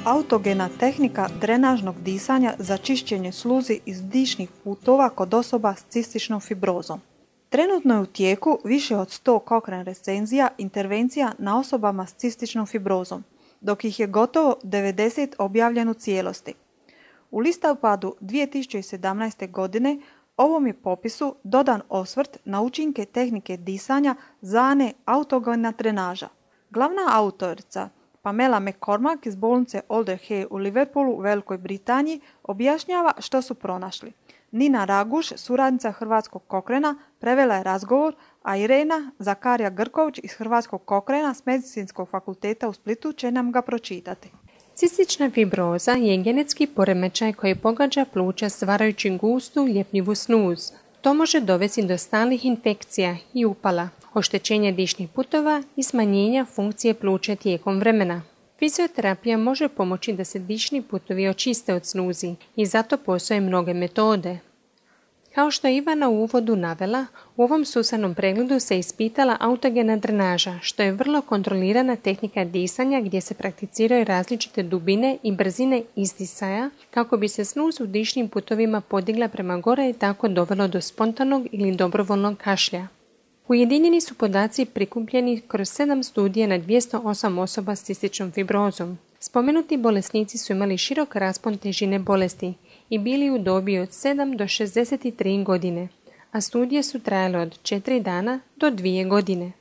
autogena tehnika drenažnog disanja za čišćenje sluzi iz dišnih putova kod osoba s cističnom fibrozom. Trenutno je u tijeku više od 100 Cochrane recenzija intervencija na osobama s cističnom fibrozom, dok ih je gotovo 90 objavljeno u cijelosti. U listopadu 2017. godine ovom je popisu dodan osvrt na učinke tehnike disanja zvane autogena drenaža. Glavna autorica Pamela McCormack iz bolnice Alder Hey u Liverpoolu u Velikoj Britaniji objašnjava što su pronašli. Nina Raguš, suradnica Hrvatskog Cochrana, prevela je razgovor, a Irena Zakarija Grković iz Hrvatskog Cochrana s Medicinskog fakulteta u Splitu će nam ga pročitati. Cistična fibroza je genetski poremećaj koji pogađa pluća stvarajući gustu, ljepljivu snuz. To može dovesti do stalnih infekcija i upala, oštećenja dišnih putova i smanjenja funkcije pluća tijekom vremena. Fizioterapija može pomoći da se dišni putovi očiste od snuzi i zato postoje mnoge metode. Kao što je Ivana u uvodu navela, u ovom sustavnom pregledu se ispitala autogena drenaža, što je vrlo kontrolirana tehnika disanja gdje se prakticiraju različite dubine i brzine izdisaja kako bi se snuz u dišnim putovima podigla prema gore i tako dovelo do spontanog ili dobrovoljnog kašlja. Ujedinjeni su podaci prikupljeni kroz 7 studija na 208 osoba s cističnom fibrozom. Spomenuti bolesnici su imali širok raspon težine bolesti i bili u dobi od 7 do 63 godine, a studije su trajale od 4 dana do 2 godine.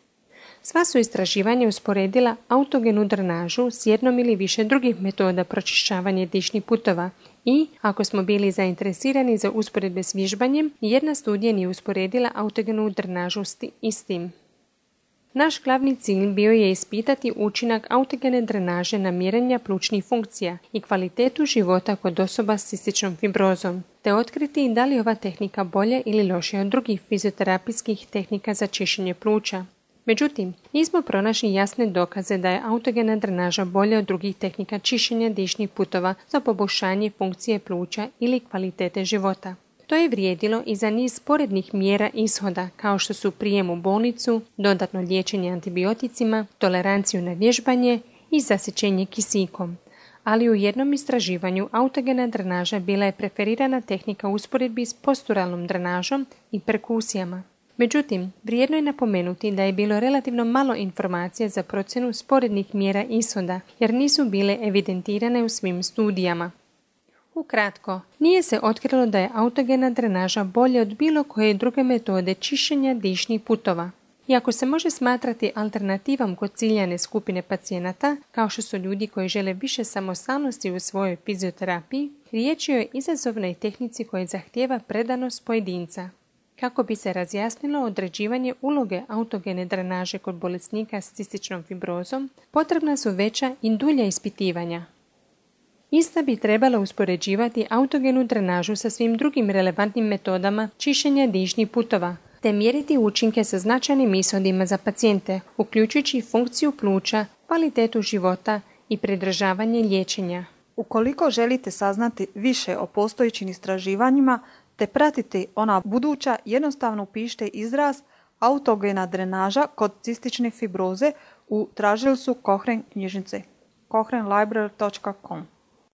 Sva su istraživanja usporedila autogenu drenažu s jednom ili više drugih metoda pročišćavanja dišnih putova i, ako smo bili zainteresirani za usporedbe s vježbanjem, jedna studija nije usporedila autogenu drenažu s istim. Naš glavni cilj bio je ispitati učinak autogene drenaže na mjerenja plućnih funkcija i kvalitetu života kod osoba s cističnom fibrozom, te otkriti da li ova tehnika bolja ili lošija od drugih fizioterapijskih tehnika za čišćenje pluća. Međutim, nismo pronašli jasne dokaze da je autogena drenaža bolja od drugih tehnika čišćenja dišnih putova za poboljšanje funkcije pluća ili kvalitete života. To je vrijedilo i za niz sporednih mjera ishoda kao što su prijem u bolnicu, dodatno liječenje antibioticima, toleranciju na vježbanje i zasićenje kisikom. Ali u jednom istraživanju autogena drenaža bila je preferirana tehnika u usporedbi s posturalnom drenažom i perkusijama. Međutim, vrijedno je napomenuti da je bilo relativno malo informacija za procjenu sporednih mjera ishoda jer nisu bile evidentirane u svim studijama. Ukratko, nije se otkrilo da je autogena drenaža bolja od bilo koje druge metode čišćenja dišnih putova. Iako se može smatrati alternativom kod ciljane skupine pacijenata, kao što su ljudi koji žele više samostalnosti u svojoj fizioterapiji, riječ je o izazovnoj tehnici koja zahtijeva predanost pojedinca. Kako bi se razjasnilo određivanje uloge autogene drenaže kod bolesnika s cističnom fibrozom, potrebna su veća i dulja ispitivanja. Ista bi trebala uspoređivati autogenu drenažu sa svim drugim relevantnim metodama čišćenja dišnih putova, te mjeriti učinke sa značajnim ishodima za pacijente, uključujući funkciju pluća, kvalitetu života i pridržavanje liječenja. Ukoliko želite saznati više o postojećim istraživanjima te pratiti ona buduća, jednostavno upišite izraz autogena drenaža kod cistične fibroze u tražilicu Cochrane knjižnice. cochranelibrary.com